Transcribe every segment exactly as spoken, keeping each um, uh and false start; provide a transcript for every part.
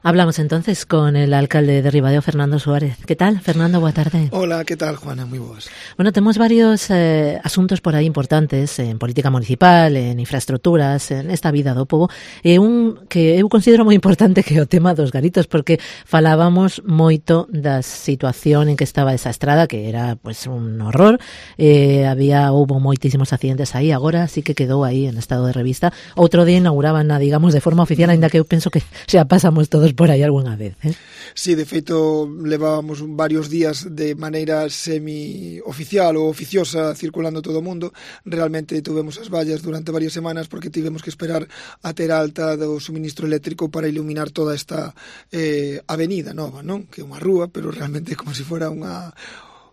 Hablamos entonces con el alcalde de Ribadeo, Fernando Suárez. ¿Qué tal, Fernando? Boa tarde. Hola, ¿qué tal, Juana? Muy boas. Bueno, tenemos varios eh, asuntos por aí importantes en política municipal, en infraestructuras, en esta vida do povo, e un que eu considero moi importante que é o tema dos garitos, porque falábamos moito da situación en que estaba esa estrada, que era pues un horror, eh, había, houbo moitísimos accidentes aí, agora sí que quedou aí en estado de revista. Outro día inauguraban, digamos, de forma oficial, ainda que eu penso que xa pasamos todos por aí algunha vez, eh? Sí, de feito, levábamos varios días de maneira semi-oficial ou oficiosa circulando todo o mundo. Realmente tuvemos as vallas durante varias semanas porque tivemos que esperar a ter alta do suministro eléctrico para iluminar toda esta eh, avenida nova, non? Que é unha rúa, pero realmente é como se fora unha...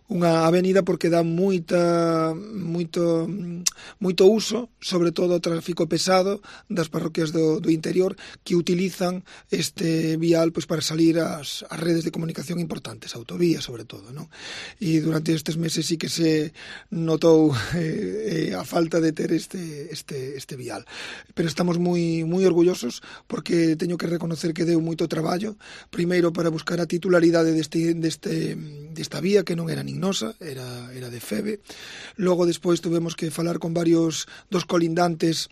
unha avenida porque dá moita moito moito uso, sobre todo o tráfico pesado das parroquias do, do interior que utilizan este vial pois para salir ás, ás redes de comunicación importantes, autovías sobre todo, non? E durante estes meses sí que se notou eh, eh, a falta de ter este este este vial. Pero estamos moi moi orgullosos porque teño que reconocer que deu moito traballo, primeiro para buscar a titularidade deste deste desta vía que non era nin nosa, era, era de Feve. Logo, despois, tuvemos que falar con varios dos colindantes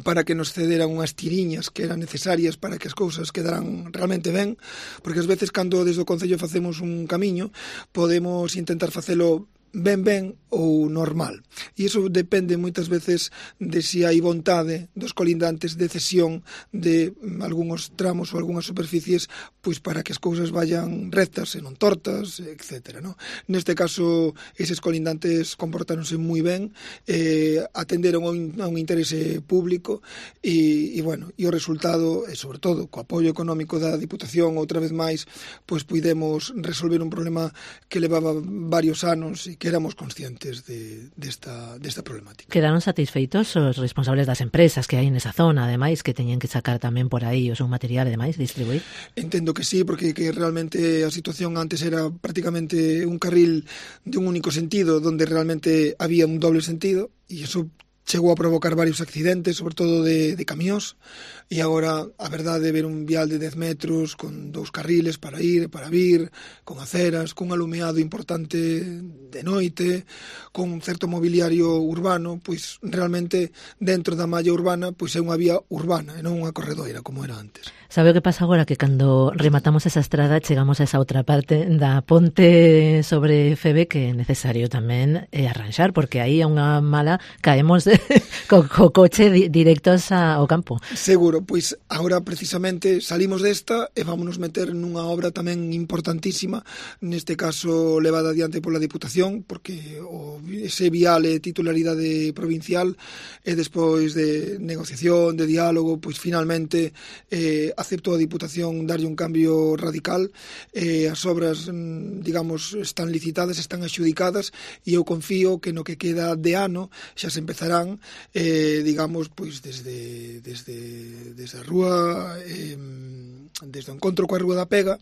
para que nos cederan unhas tiriñas que eran necesarias para que as cousas quedaran realmente ben, porque ás veces, cando desde o Concello facemos un camiño, podemos intentar facelo ben ben ou normal. E iso depende moitas veces de se hai vontade dos colindantes de cesión de algúns tramos ou algunhas superficies pois para que as cousas vayan rectas e non tortas, etcétera, ¿no? Neste caso, eses colindantes comportáronse moi ben, eh, atenderon a un, a un interese público e, e, bueno, e o resultado, e sobre todo, co apoio económico da Diputación, outra vez máis, pois puidemos resolver un problema que levaba varios anos e que éramos conscientes de, desta, desta problemática. Quedaron satisfeitos os responsables das empresas que hai nesa zona, ademais, que teñen que sacar tamén por aí o seu material, ademais, distribuir? Entendo que sí, porque que realmente a situación antes era prácticamente un carril de un único sentido, donde realmente había un doble sentido, e iso chegou a provocar varios accidentes, sobre todo de, de camións, e agora a verdade é ver un vial de dez metros con dous carriles para ir e para vir, con aceras, con un alumeado importante de noite, con un certo mobiliario urbano, pois realmente dentro da malla urbana pois é unha vía urbana e non unha corredoira como era antes. Sabe o que pasa agora? Que cando rematamos esa estrada chegamos a esa outra parte da ponte sobre Feve que é necesario tamén eh, arranxar, porque aí a unha mala caemos co, co coche di, directos ao campo. Seguro, pois agora precisamente salimos desta e vámonos meter nunha obra tamén importantísima, neste caso levada adiante pola Diputación, porque o, ese vial é titularidade provincial e despois de negociación, de diálogo, pois finalmente eh, aceptou a Diputación darlle un cambio radical, eh, as obras, digamos, están licitadas, están axudicadas e eu confío que no que queda de ano xa se empezarán, eh, digamos, pois desde desde, desde a rúa, eh, desde o encontro coa Rúa da Pega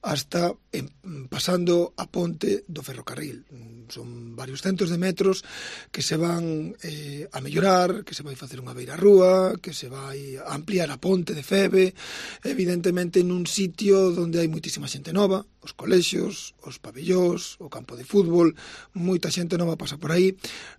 hasta eh, pasando a ponte do ferrocarril. Son varios centos de metros que se van eh, a mellorar, que se vai facer unha beira rúa, que se vai a ampliar a ponte de Feve, evidentemente nun sitio onde hai moitísima xente nova, os colexios, os pabellós, o campo de fútbol, moita xente nova pasa por aí,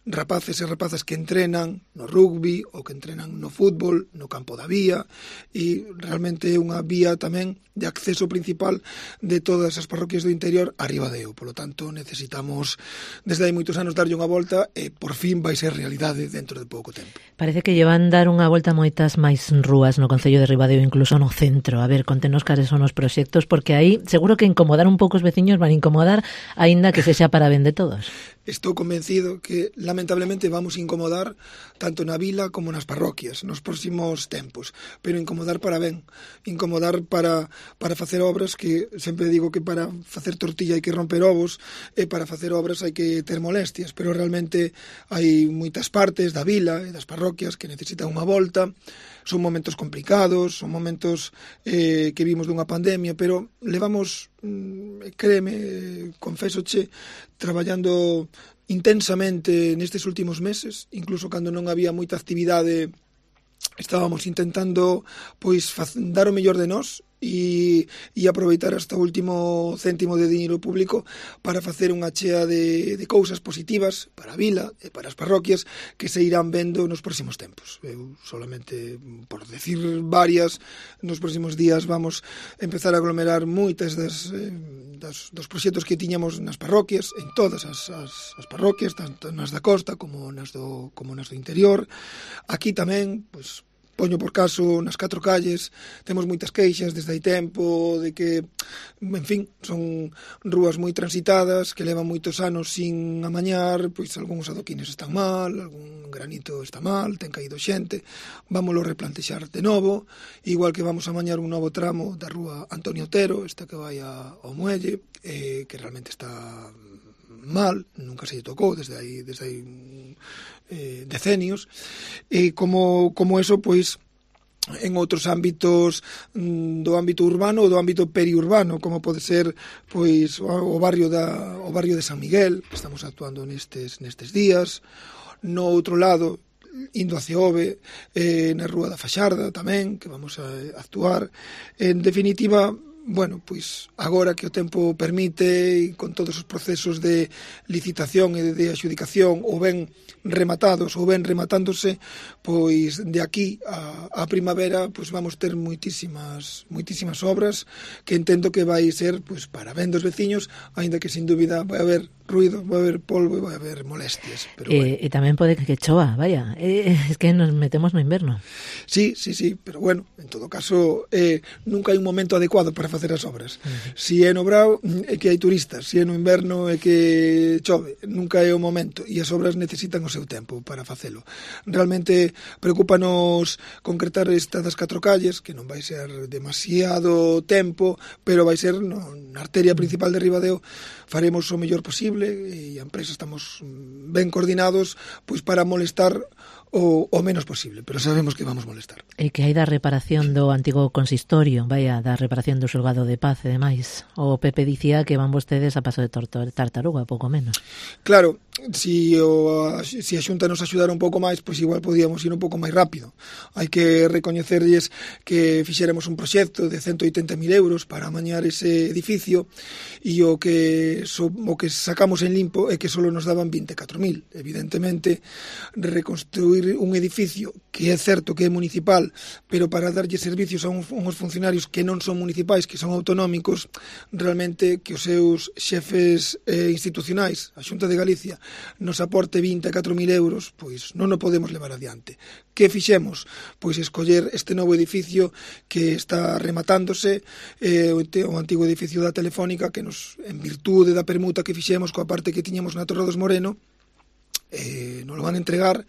rapaces e rapazas que entrenan no rugby ou que entrenan no fútbol, no campo da vía, e realmente é unha vía tamén de acceso principal de todas as parroquias do interior a Ribadeo. Por lo tanto, necesitamos desde hai moitos anos darlle unha volta e por fin vai ser realidade dentro de pouco tempo. Parece que llevan dar unha volta a moitas máis rúas no Concello de Ribadeo, incluso no centro. A ver, contenos cales son os proxectos, porque aí seguro que incomodar un pouco os veciños van a incomodar, aínda que sexa para ben de todos. Estou convencido que, lamentablemente, vamos incomodar tanto na vila como nas parroquias nos próximos tempos, pero incomodar para ben, incomodar para, para facer obras que, sempre digo que para facer tortilla hai que romper ovos, e para facer obras hai que ter molestias, pero realmente hai moitas partes da vila e das parroquias que necesitan unha volta. Son momentos complicados, son momentos eh, que vimos dunha pandemia, pero levamos, créeme, confésoche, traballando intensamente nestes últimos meses, incluso cando non había moita actividade, estábamos intentando pois dar o mellor de nós e, e aproveitar hasta o último céntimo de diñeiro público para facer unha chea de, de cousas positivas para a vila e para as parroquias que se irán vendo nos próximos tempos. Eu solamente, por decir varias, nos próximos días vamos empezar a aglomerar moitas das, das, dos proxectos que tiñamos nas parroquias, en todas as, as, as parroquias, tanto nas da costa como nas do, como nas do interior. Aquí tamén, pois, poño por caso, nas catro calles temos moitas queixas desde hai tempo de que, en fin, son rúas moi transitadas que levan moitos anos sin amañar, pois algúns adoquines están mal, algún granito está mal, ten caído xente, vámoslo replantexar de novo, igual que vamos a amañar un novo tramo da rúa Antonio Otero, esta que vai ao Muelle, eh, que realmente está mal, nunca se lle tocou desde aí, desde aí eh, decenios, e como, como eso, pois, en outros ámbitos do ámbito urbano ou do ámbito periurbano, como pode ser pois o barrio da o barrio de San Miguel, que estamos actuando nestes nestes días. No outro lado, indo hacia Ove, eh, na Rúa da Faxarda tamén, que vamos a actuar. En definitiva, bueno, pois agora que o tempo permite e con todos os procesos de licitación e de adxudicación ou ben rematados ou ben rematándose, pois de aquí a, a primavera pois vamos ter moitísimas moitísimas obras que entendo que vai ser pois para ben dos veciños, aínda que sin dúbida vai haber ruido, vai haber polvo e vai haber molestias, pero eh, bueno. E tamén pode que chova, vaya, eh, es que nos metemos no inverno. Sí, sí, sí, pero bueno, en todo caso eh, nunca hai un momento adecuado para facer as obras. Uh-huh. Si é no brao é que hai turistas, si é no inverno é que chove, nunca é o momento e as obras necesitan o seu tempo para facelo. Realmente preocúpanos concretar esta das catro calles, que non vai ser demasiado tempo, pero vai ser no, na arteria principal de Ribadeo, faremos o mellor posible e a empresa estamos ben coordinados pois para molestar o, o menos posible, pero sabemos que vamos molestar. E que hai da reparación do antigo consistorio, vaya, da reparación do xulgado de paz e demais. O Pepe dicía que van vostedes a paso de tartaruga, pouco menos. Claro, si, o, si a Xunta nos axudara un pouco máis, pois igual podíamos ir un pouco máis rápido. Hai que recoñecerlles que fixéramos un proxecto de ciento oitenta mil euros para amañar ese edificio e o que, so, o que sacamos en limpo é que só nos daban vinte e catro mil. Evidentemente, reconstruir un edificio que é certo que é municipal, pero para darlle servicios a uns, uns funcionarios que non son municipais, que son autonómicos, realmente que os seus xefes eh, institucionais, a Xunta de Galicia, nos aporte vinte e catro mil euros, pois non o podemos levar adiante. Que fixemos? Pois escoller este novo edificio que está rematándose, eh, o antigo edificio da Telefónica, que nos, en virtude da permuta que fixemos coa parte que tiñamos na Torre dos Moreno, eh, nos lo van a entregar,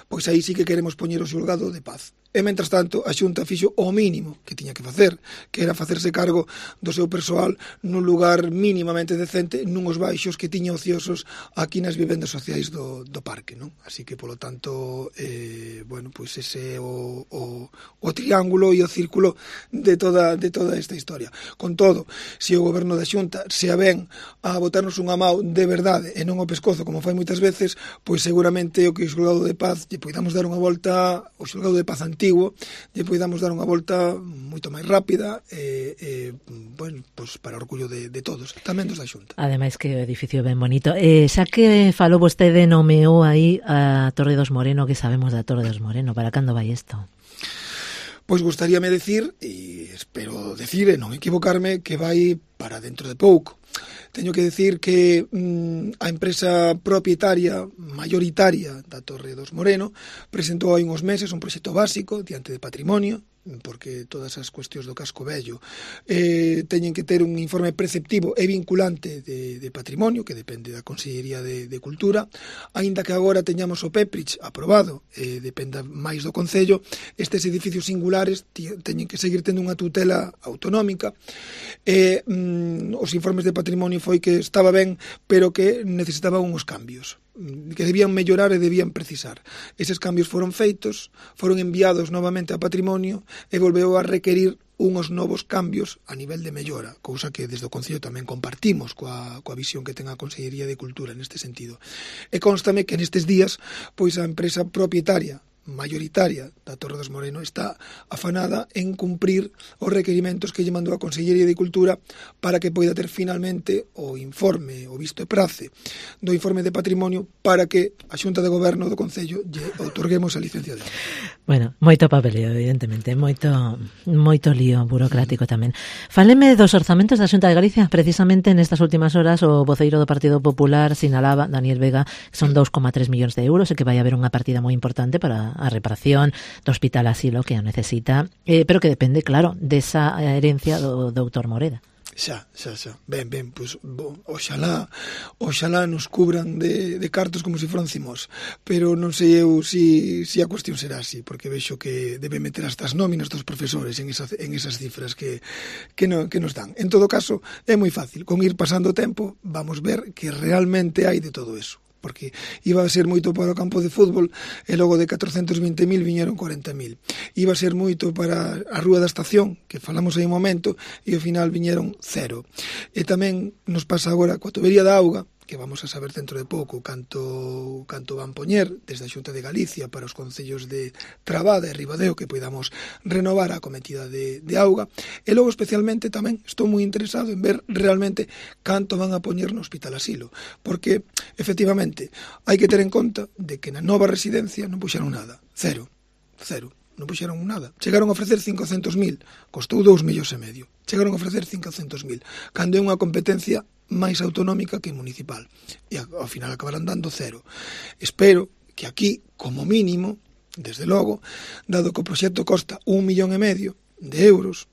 pois aí sí que queremos poñer o xulgado de paz. E, mentras tanto, a Xunta fixo o mínimo que tiña que facer, que era facerse cargo do seu persoal nun lugar mínimamente decente, nuns baixos que tiña ociosos aquí nas vivendas sociais do, do parque, non? Así que, polo tanto, eh, bueno, pois ese é o, o, o triángulo e o círculo de toda, de toda esta historia. Con todo, se o goberno da Xunta se aven a botarnos unha mau de verdade e non o pescozo, como fai moitas veces, pois seguramente o que o xulgado de paz lle poidamos dar unha volta, o xulgado de paz antigo, lle poidamos dar unha volta moito máis rápida e, e bueno, pues para orgullo de, de todos, tamén dos da Xunta. Ademais que o edificio ben bonito. Eh, xa que falou vostede, nomeou aí a Torre dos Moreno, que sabemos da Torre dos Moreno, para cando vai isto? Pois gustaríame decir, e espero decir e non equivocarme, que vai para dentro de pouco. Teño que decir que mm, a empresa propietaria mayoritaria da Torre dos Moreno presentou hai uns meses un proxecto básico diante de patrimonio, porque todas as cuestións do casco vello eh, teñen que ter un informe preceptivo e vinculante de, de patrimonio, que depende da Consellería de, de Cultura, aínda que agora teñamos o PEPRICH aprobado, eh, dependa máis do Concello, estes edificios singulares teñen que seguir tendo unha tutela autonómica, e mm, os informes de patrimonio foi que estaba ben, pero que necesitaban uns cambios que debían mellorar e debían precisar. Eses cambios foron feitos, foron enviados novamente a patrimonio e volveu a requerir unhos novos cambios a nivel de mellora, cousa que desde o Concello tamén compartimos coa, coa visión que ten a Consellería de Cultura neste sentido. E constame que nestes días pois a empresa propietaria mayoritaria da Torre dos Moreno está afanada en cumprir os requerimentos que lle mandou a Consellería de Cultura para que poida ter finalmente o informe, o visto e prace do informe de patrimonio para que a Xunta de Goberno do Concello lle outorguemos a licencia de obra. Bueno, moito papeleo, evidentemente, moito moito lío burocrático tamén. Fáleme dos orzamentos da Xunta de Galicia. Precisamente nestas últimas horas o voceiro do Partido Popular sinalaba, Daniel Vega, que son dous coma tres millóns de euros e que vai haber unha partida moi importante para a reparación do Hospital Asilo que a necesita, eh, pero que depende, claro, desa herencia do doutor Moreda. Xa, xa, xa. Ben, ben, pois, bo, oxalá, oxalá nos cubran de, de cartos como se foran cimos, pero non sei eu si, si a cuestión será así, porque vexo que debe meter hasta as nóminas dos profesores en, esa, en esas cifras que, que, no, que nos dan. En todo caso, é moi fácil, con ir pasando o tempo, vamos ver que realmente hai de todo eso, porque iba a ser moito para o campo de fútbol e logo de catrocentos vinte mil viñeron corenta mil. Iba a ser moito para a Rúa da Estación, que falamos aí un momento, e ao final viñeron cero. E tamén nos pasa agora coa tubería da auga, que vamos a saber dentro de pouco canto, canto van poñer desde a Xunta de Galicia para os concellos de Trabada e Ribadeo que podamos renovar a cometida de, de auga. E logo especialmente tamén estou moi interesado en ver realmente canto van a poñer no Hospital Asilo, porque efectivamente hai que ter en conta de que na nova residencia non puxeron nada, cero, cero. Non puxeron nada. Chegaron a ofrecer cincocentos mil, costou dous millóns e medio. Chegaron a ofrecer cincocentos mil, cando é unha competencia máis autonómica que municipal. E ao final acabarán dando cero. Espero que aquí, como mínimo, desde logo, dado que o proxecto costa un millón e medio de euros,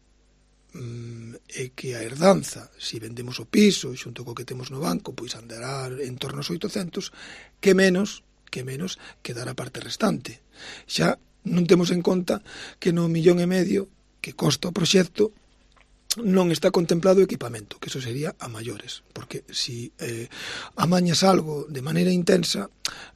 mmm, e que a herdanza, se vendemos o piso, xunto co que temos no banco, pois andará en torno aos oitocentos, que menos, que menos que dar a parte restante. Xa non temos en conta que no millón e medio que costa o proxecto non está contemplado o equipamento, que eso sería a maiores, porque si eh, amañas algo de maneira intensa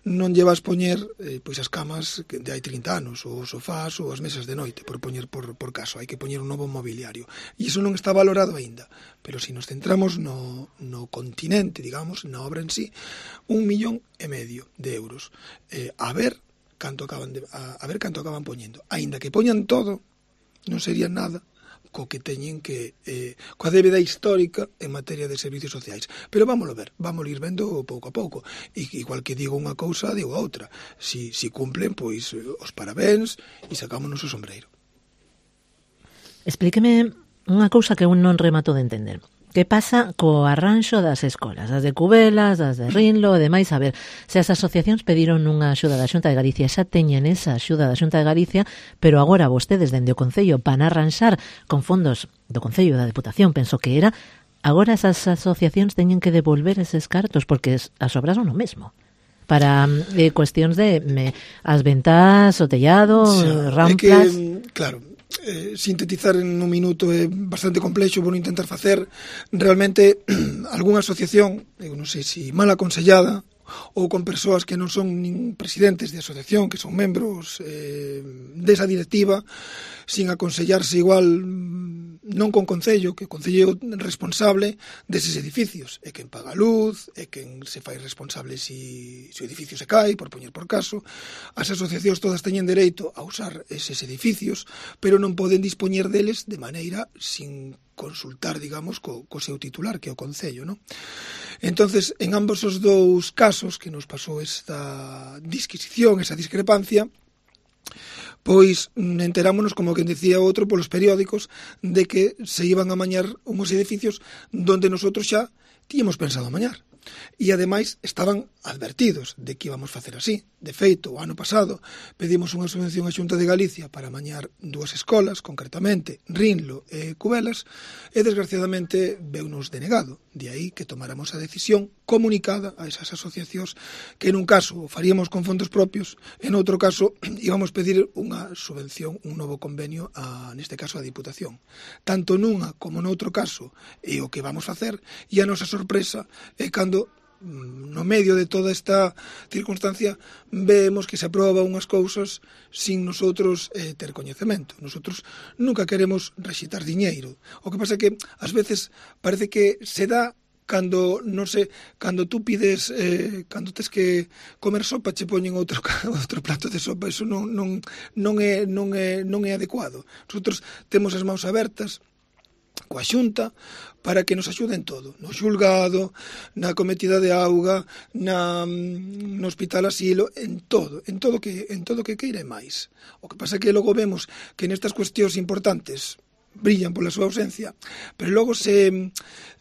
non lle vas poñer eh, pois as camas de hai trinta anos, ou os sofás ou as mesas de noite, por poñer por, por caso, hai que poñer un novo mobiliario, e iso non está valorado aínda, pero se nos centramos no, no continente, digamos, na obra en sí, un millón e medio de euros, eh, a ver canto acaban de, a, a ver canto acaban poñendo, aínda que poñan todo non sería nada co que teñen que eh, coa débeda histórica en materia de servicios sociais, pero vámoslo ver, vámoslo ir vendo pouco a pouco, e igual que digo unha cousa, digo outra, si, si cumplen, pois os parabéns e sacámonos o sombreiro. Explíqueme unha cousa que un non remato de entender. Que pasa co arranxo das escolas, as de Cubelas, as de Rinlo e demais? A ver, se as asociacións pediron unha axuda da Xunta de Galicia, xa teñen esa axuda da Xunta de Galicia, pero agora vostedes dende o Concello van a arranxar con fondos do Concello da Deputación, penso que era, agora esas asociacións teñen que devolver eses cartos, porque as obras son o mesmo. Para eh, cuestións de me, as ventás, o tellado, xa, ramplas... É que, claro... Eh, sintetizar en un minuto é bastante complexo, vou intentar facer realmente algunha asociación, eu non sei se mal aconsellada ou con persoas que non son nin presidentes de asociación, que son membros eh, desa directiva, sin aconsellarse igual non con Concello, que o Concello é responsable deses edificios, é quen paga a luz, é quen se fai responsable se, se o edificio se cae, por poñer por caso. As asociacións todas teñen dereito a usar eses edificios, pero non poden dispoñer deles de maneira sin consultar, digamos, co, co seu titular, que é o Concello, non? Entonces, en ambos os dous casos que nos pasou esta disquisición, esa discrepancia, pois enterámonos, como quen decía outro, polos periódicos, de que se iban a mañar unhos edificios donde nosotros xa tíamos pensado mañar. E, ademais, estaban advertidos de que íbamos facer así. De feito, o ano pasado pedimos unha subvención á Xunta de Galicia para mañar dúas escolas, concretamente Rinlo e Cubelas, e desgraciadamente veunos denegado. De aí que tomáramos a decisión comunicada a esas asociacións que en un caso o faríamos con fondos propios, en outro caso íbamos pedir unha subvención, un novo convenio, a, neste caso a Diputación. Tanto nunha como noutro caso é o que vamos facer, e a nosa sorpresa é cando no medio de toda esta circunstancia vemos que se aproba unhas cousas sin nosotros eh, ter coñecemento. Nosotros nunca queremos rexitar diñeiro. O que pasa é que ás veces parece que se dá cando, non sei, cando tú pides, eh, cando tes que comer sopa, che poñen outro, outro plato de sopa, eso non, non, non, é, non, é, non é adecuado. Nosotros temos as mãos abertas coa Xunta para que nos axuden todo, no xulgado, na cometida de auga, na, no hospital asilo, en todo, en todo que en todo que queira e máis. O que pasa é que logo vemos que nestas cuestións importantes brillan pola súa ausencia, pero logo se,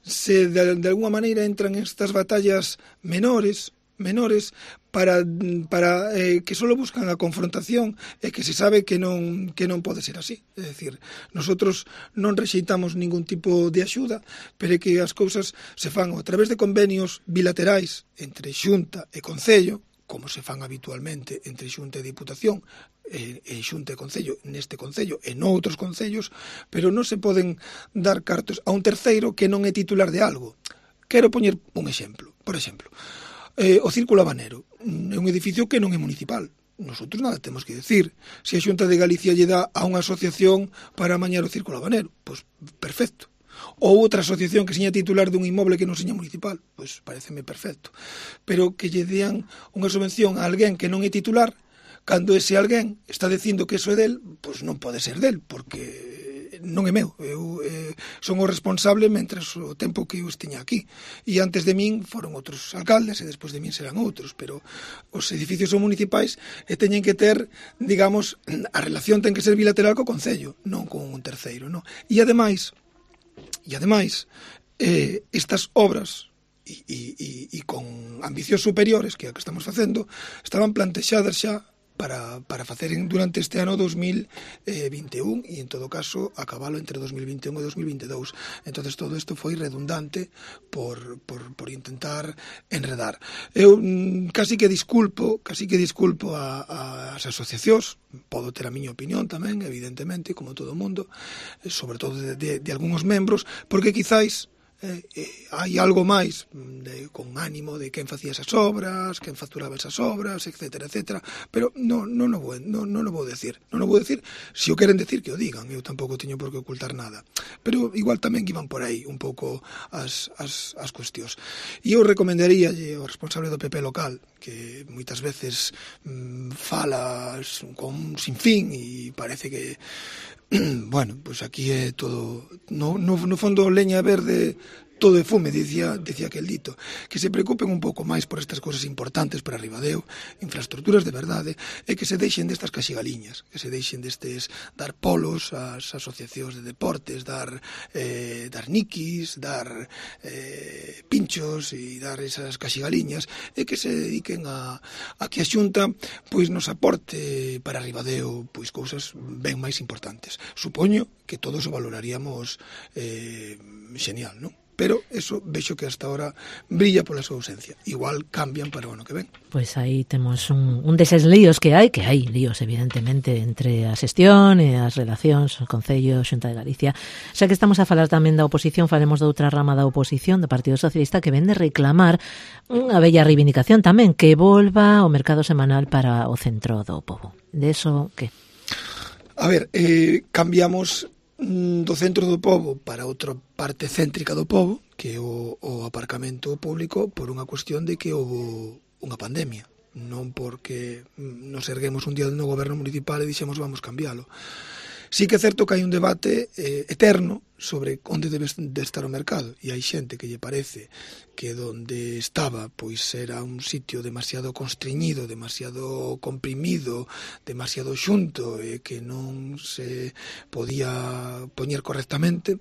se de, de alguma maneira entran en estas batallas menores, menores para, para eh, que só buscan a confrontación e que se sabe que non, que non pode ser así. É dicir, nosotros non rexeitamos ningún tipo de axuda, pero é que as cousas se fan a través de convenios bilaterais entre Xunta e Concello, como se fan habitualmente entre Xunta e Diputación, e, e Xunta e Concello neste Concello e noutros concellos, pero non se poden dar cartos a un terceiro que non é titular de algo. Quero poñer un exemplo. Por exemplo, eh, o Círculo Habanero é un edificio que non é municipal. Nosotros nada temos que decir. Se a Xunta de Galicia lle dá a unha asociación para amañar o Círculo Habanero, pois perfecto. Ou outra asociación que seña titular dun inmoble que non seña municipal, pois pareceme perfecto. Pero que lle dean unha subvención a alguén que non é titular, cando ese alguén está dicindo que eso é del, pois non pode ser del, porque non é meu. Eu eh, son o responsable mentres o tempo que eu estiña aquí. E antes de min foron outros alcaldes e despois de min serán outros, pero os edificios son municipais e teñen que ter, digamos, a relación ten que ser bilateral co Concello, non con un terceiro, non? E ademais, e ademais, eh, estas obras e, e, e con ambicións superiores que a que estamos facendo estaban plantexadas xa para, para facer durante este ano dos mil vinte e un e en todo caso acabalo entre dos mil vinte e un e dos mil vinte e dous. Entonces todo isto foi redundante por, por, por intentar enredar. Eu mm, casi que disculpo casi que disculpo a, a, as asociacións, podo ter a miña opinión tamén, evidentemente, como todo o mundo, sobre todo de, de, de algúns membros, porque quizáis Eh, eh, hai algo máis de, con ánimo de quen facía esas obras, quen facturaba esas obras, etcétera, etcétera, pero non no, no, vou, no, no, no vou decir, non o vou decir, se o queren decir que o digan, eu tampouco teño por que ocultar nada, pero igual tamén iban por aí un pouco as, as, as cuestións. E eu recomendaría ao responsable do P P local, que moitas veces mmm, fala con un sinfín e parece que bueno, pois pues aquí é todo no, no, no fondo leña verde, todo é fume, dicía, dicía aquel dito, que se preocupen un pouco máis por estas cousas importantes para Ribadeo, infraestructuras de verdade, e que se deixen destas caxigaliñas, que se deixen destes dar polos ás asociacións de deportes, dar eh, dar niquis, dar eh, pinchos e dar esas caxigaliñas, e que se dediquen a, a que a Xunta pois nos aporte para Ribadeo pois cousas ben máis importantes. Supoño que todos o valoraríamos eh, genial, non? Pero eso vexo que hasta ahora brilla pola súa ausencia. Igual cambian para o ano que ven. Pois aí temos un, un deses líos que hai, que hai líos evidentemente entre a xestión e as relacións, o Concello, Xunta de Galicia. Xa que estamos a falar tamén da oposición, falemos de outra rama da oposición, do Partido Socialista, que vende reclamar unha bella reivindicación tamén, que volva o mercado semanal para o centro do pobo. De eso, que? A ver, eh, cambiamos do centro do pobo para outra parte céntrica do pobo, que é o, o aparcamento público, por unha cuestión de que houve unha pandemia, non porque nos erguemos un día no goberno municipal e dixemos vamos cambiálo. Sí que é certo que hai un debate eh, eterno sobre onde debe de estar o mercado, e hai xente que lle parece que donde estaba pois era un sitio demasiado constreñido, demasiado comprimido, demasiado xunto e que non se podía poñer correctamente,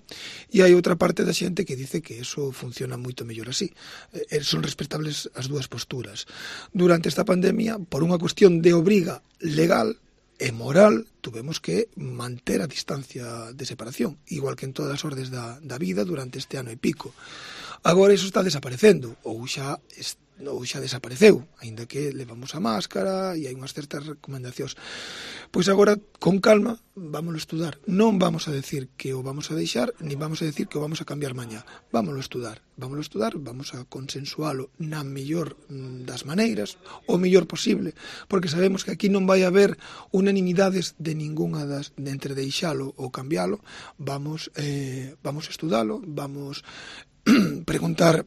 e hai outra parte da xente que dice que eso funciona moito mellor así. Eh, son respectables as dúas posturas. Durante esta pandemia, por unha cuestión de obriga legal e moral, tuvemos que manter a distancia de separación, igual que en todas as ordes da, da vida durante este ano e pico. Agora iso está desaparecendo, ou xa ou xa desapareceu, aínda que levamos a máscara e hai unhas certas recomendacións. Pois agora, con calma, vámoslo estudar. Non vamos a decir que o vamos a deixar, ni vamos a decir que o vamos a cambiar mañá. Vámoslo estudar. Vámoslo estudar, vamos a consensualo na mellor das maneiras, o mellor posible, porque sabemos que aquí non vai haber unanimidades de ningunha das, de entre deixalo ou cambialo. Vamos, eh, vamos a estudalo, vamos preguntar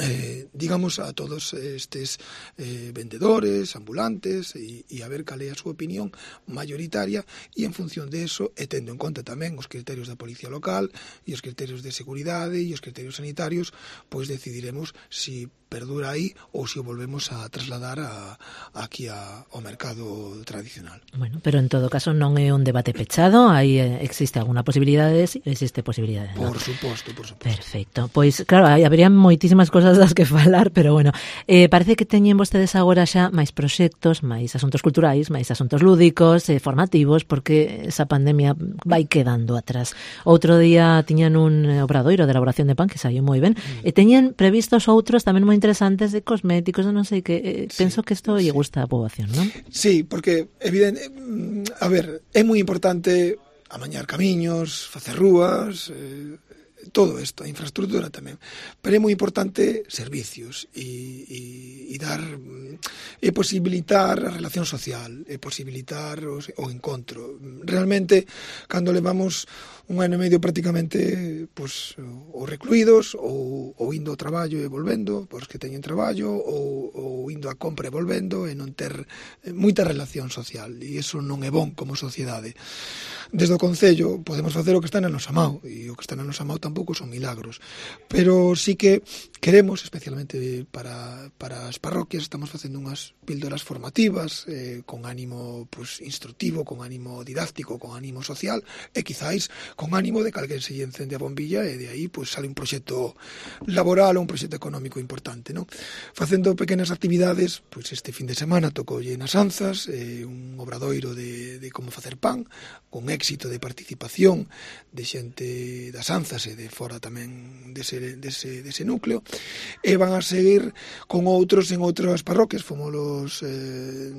Eh, digamos a todos estes eh, vendedores, ambulantes e, e a ver cal é a súa opinión mayoritaria, e en función de eso, e tendo en conta tamén os criterios da Policía Local e os criterios de seguridade e os criterios sanitarios, pois decidiremos si perdura aí ou se o volvemos a trasladar a, a aquí a, ao mercado tradicional. Bueno, pero en todo caso non é un debate pechado, aí existe alguna posibilidade, sí, existe posibilidade, ¿no? Por suposto, por suposto. Perfecto. Pois claro, aí habería moitísimas cosas das que falar, pero bueno, eh, parece que teñen vostedes agora xa máis proxectos, máis asuntos culturais, máis asuntos lúdicos, eh, formativos, porque esa pandemia vai quedando atrás. Outro día tiñan un obradoiro de elaboración de pan que saiu moi ben, mm. e teñen previstos outros tamén moi interesantes de cosméticos, non sei que, eh, sí, penso que isto sí. lle gusta a poboación, non? Sí, porque evidente, a ver, é moi importante amañar camiños, facer rúas, eh, todo isto, a infraestructura tamén, pero é moi importante servicios e, e, e dar e posibilitar a relación social, e posibilitar o, o encontro. Realmente, cando levamos un ano e medio prácticamente pues, ou recluídos, ou, ou indo ao traballo e volvendo, pois que teñen traballo, ou, ou indo a compra e volvendo, e non ter moita relación social, e iso non é bon como sociedade. Desde o Concello podemos facer o que está na nosa mão, e o que está na nosa mão tampouco son milagros, pero sí que queremos, especialmente para, para as parroquias, estamos facendo unhas píldoras formativas eh, con ánimo pues, instructivo, con ánimo didáctico, con ánimo social, e quizáis con ánimo de que alguén se lle encende a bombilla e de aí pues, sale un proxecto laboral ou un proxecto económico importante, non? Facendo pequenas actividades, pues, este fin de semana tocoulle nas Anzas eh, un obradoiro de, de como facer pan, con éxito de participación de xente das Anzas e de fora tamén dese, dese, dese núcleo, e van a seguir con outros en outras parroquias, fomos eh,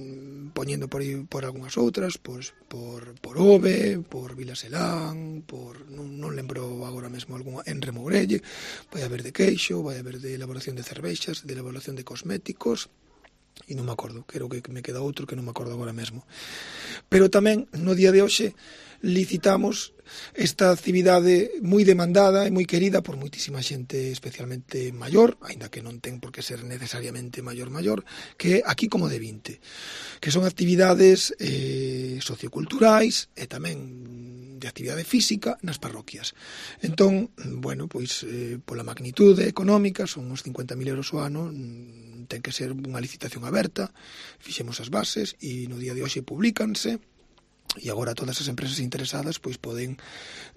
poñendo por, aí, por algunhas outras, pues, por, por Ove, por Vilaselán, por non, non lembro agora mesmo algunha, en Remourelle, vai haber de queixo, vai haber de elaboración de cervexas, de elaboración de cosméticos, e non me acordo, creo que me queda outro que non me acordo agora mesmo. Pero tamén, no día de hoxe, licitamos esta actividade moi demandada e moi querida por moitísima xente, especialmente maior, aínda que non ten por que ser necesariamente maior maior, que é Aquí como de vinte, que son actividades eh, socioculturais e tamén de actividade física nas parroquias. Entón, bueno, pois eh, pola magnitude económica, son uns cincuenta mil euros o ano, ten que ser unha licitación aberta, fixemos as bases e no día de hoxe publicanse, e agora todas as empresas interesadas pois poden,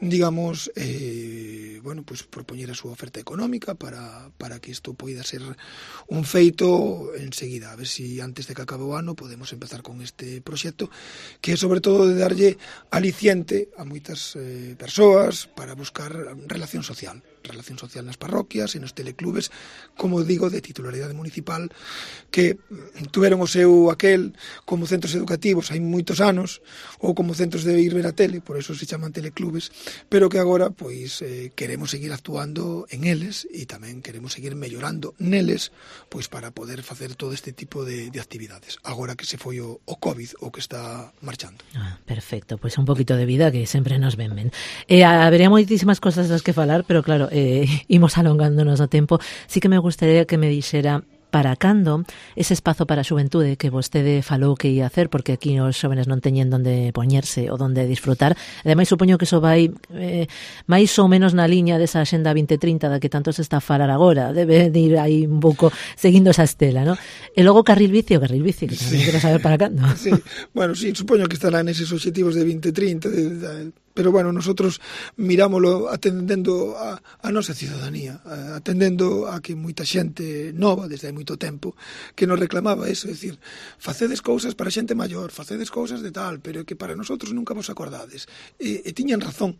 digamos, eh, bueno, pois propoñer a súa oferta económica para, para que isto poida ser un feito enseguida, a ver se si antes de que acabe o ano podemos empezar con este proxecto, que é sobre todo de darlle aliciente a moitas eh, persoas para buscar relación social, relación social nas parroquias e nos teleclubes, como digo, de titularidade municipal, que tuveron o seu aquel como centros educativos hai moitos anos, ou como centros de ir ver a tele, por eso se chaman teleclubes, pero que agora pois eh, queremos seguir actuando en eles e tamén queremos seguir mellorando neles pois para poder facer todo este tipo de, de actividades. Agora que se foi o, o COVID o que está marchando. Ah, perfecto, pois un poquito de vida que sempre nos ven ben. Eh, habería moitísimas cosas das que falar, pero claro, eh, imos alongándonos o tempo. Sí que me gustaría que me dixera para cando ese espazo para a xuventude que vostede falou que ia hacer, porque aquí os xóvenes non teñen onde poñerse ou onde disfrutar. Ademais, supoño que iso vai eh, máis ou menos na liña desa Axenda vinte trinta da que tanto se está a falar agora. Debe de ir aí un pouco seguindo esa estela, ¿no? E logo carril bici, o carril bici, que tamén sí. Quero saber para cando. Sí. Bueno, sí, supoño que estará neses obxectivos de vinte trinta, de, de, pero bueno, nosotros mirámoslo atendendo a, a nosa ciudadanía, atendendo a que moita xente nova, desde hai moito tempo, que nos reclamaba eso, é dicir, facedes cousas para xente maior, facedes cousas de tal, pero que para nosotros nunca vos acordades. E, e tiñan razón.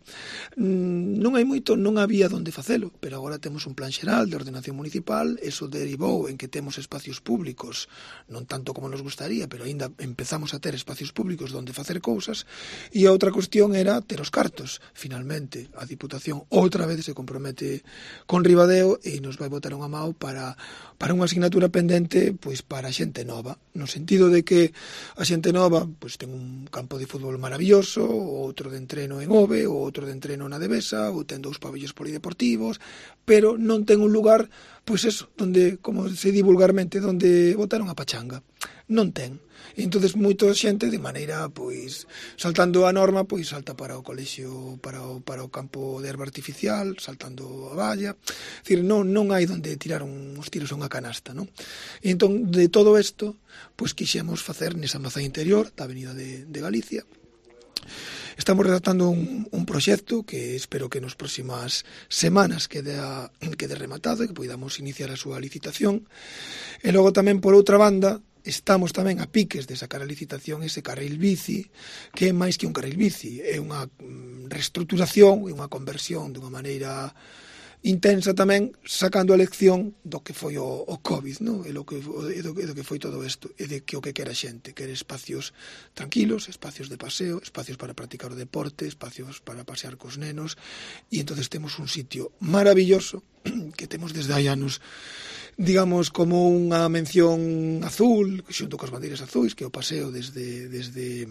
Non hai moito, non había donde facelo, pero agora temos un plan xeral de ordenación municipal, eso derivou en que temos espacios públicos, non tanto como nos gustaría, pero aínda empezamos a ter espacios públicos donde facer cousas, e a outra cuestión era ter os os cartos. Finalmente, a Diputación outra vez se compromete con Ribadeo e nos vai botar unha mão para, para unha asignatura pendente pois para a xente nova, no sentido de que a xente nova pois ten un campo de fútbol maravilloso, outro de entreno en Ove, outro de entreno na Devesa, ou ten dous pabellos polideportivos, pero non ten un lugar, pois eso, donde, como se di vulgarmente, donde botaron a pachanga. Non ten. E entonces moita xente de maneira, pois, saltando a norma, pois salta para o colexio, para o, para o campo de herba artificial, saltando a valla. É dicir, non, non hai donde tirar uns tiros a unha canasta, non? E entón, de todo isto, pois quixemos facer nesa maza interior da Avenida de, de Galicia. Estamos redactando un, un proxecto que espero que nos próximas semanas quede, a, quede rematado e que podamos iniciar a súa licitación. E logo tamén, por outra banda, estamos tamén a piques de sacar a licitación ese carril bici, que é máis que un carril bici, é unha reestruturación e unha conversión dunha maneira intensa tamén, sacando a lección do que foi o, o COVID, no? E, lo que, e, do, e do que foi todo isto, e de que o que quera a xente, quere espacios tranquilos, espacios de paseo, espacios para practicar o deporte, espacios para pasear cos nenos, e entonces temos un sitio maravilloso que temos desde hai anos, digamos, como unha mención azul, xunto coas bandeiras azuis, que é o paseo desde, desde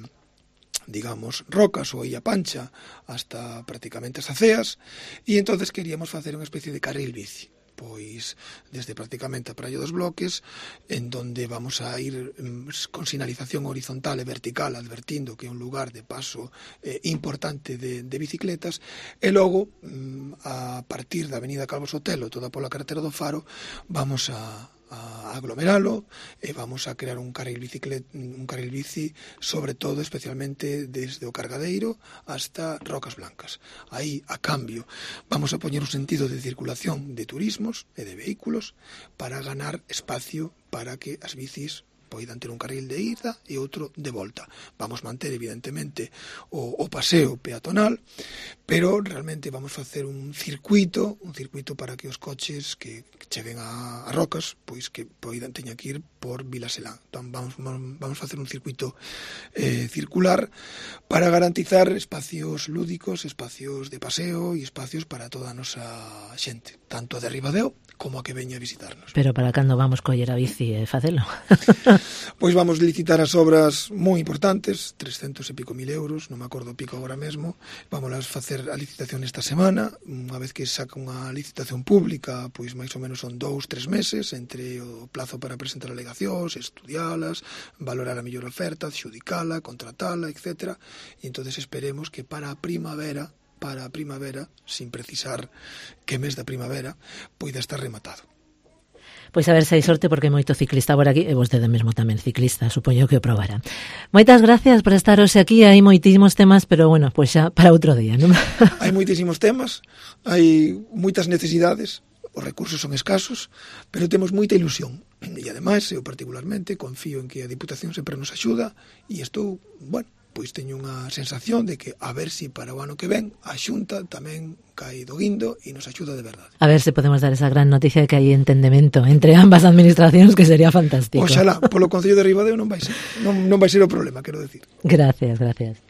digamos, Rocas ou Illa Pancha hasta prácticamente as Aceas, e entonces queríamos facer unha especie de carril bici, pois desde prácticamente a Praia dos Bloques, en donde vamos a ir con sinalización horizontal e vertical, advertindo que é un lugar de paso eh, importante de, de bicicletas, e logo, a partir da Avenida Calvo Sotelo, toda pola carretera do Faro, vamos a a aglomeralo e vamos a crear un carril bicicleta, un carril bici, sobre todo especialmente desde o Cargadeiro hasta Rocas Blancas. Aí, a cambio, vamos a poñer un sentido de circulación de turismos e de vehículos para ganar espacio para que as bicis poidan ter un carril de ida e outro de volta. Vamos manter, evidentemente, o, o paseo peatonal, pero realmente vamos facer un circuito, un circuito para que os coches que cheguen a, a Rocas, pois que poidan teña que ir por Vilaselán. Entón, vamos, vamos facer un circuito eh, circular para garantizar espacios lúdicos, espacios de paseo e espacios para toda a nosa xente, tanto de Ribadeo como a que veña a visitarnos. Pero para cando vamos coller a bici e facelo? Pois vamos licitar as obras moi importantes, trescentos e pico mil euros, non me acordo o pico agora mesmo. Vamos a facer a licitación esta semana, unha vez que saca unha licitación pública, pois máis ou menos son dous, tres meses, entre o plazo para presentar alegacións, estudialas, valorar a mellor oferta, adxudicala, contratala, etcétera. E entonces esperemos que para a primavera, para a primavera, sin precisar que mes da primavera, poida estar rematado. Pois a ver se hai sorte, porque hai moito ciclista por aquí, e vostede mesmo tamén ciclista, supoño que o probara. Moitas gracias por estar hoxe aquí, hai moitísimos temas, pero bueno, pois xa para outro día, non? Hai moitísimos temas, hai moitas necesidades, os recursos son escasos, pero temos moita ilusión. E ademais, eu particularmente confío en que a Diputación sempre nos axuda, e estou, bueno, pois teño unha sensación de que a ver si para o ano que ven a Xunta tamén cae do guindo e nos axuda de verdade. A ver se podemos dar esa gran noticia de que hai entendemento entre ambas administracións, que sería fantástico. Oxalá, polo Concello de Ribadeo non vai ser, non, non vai ser o problema, quero decir. Gracias, gracias.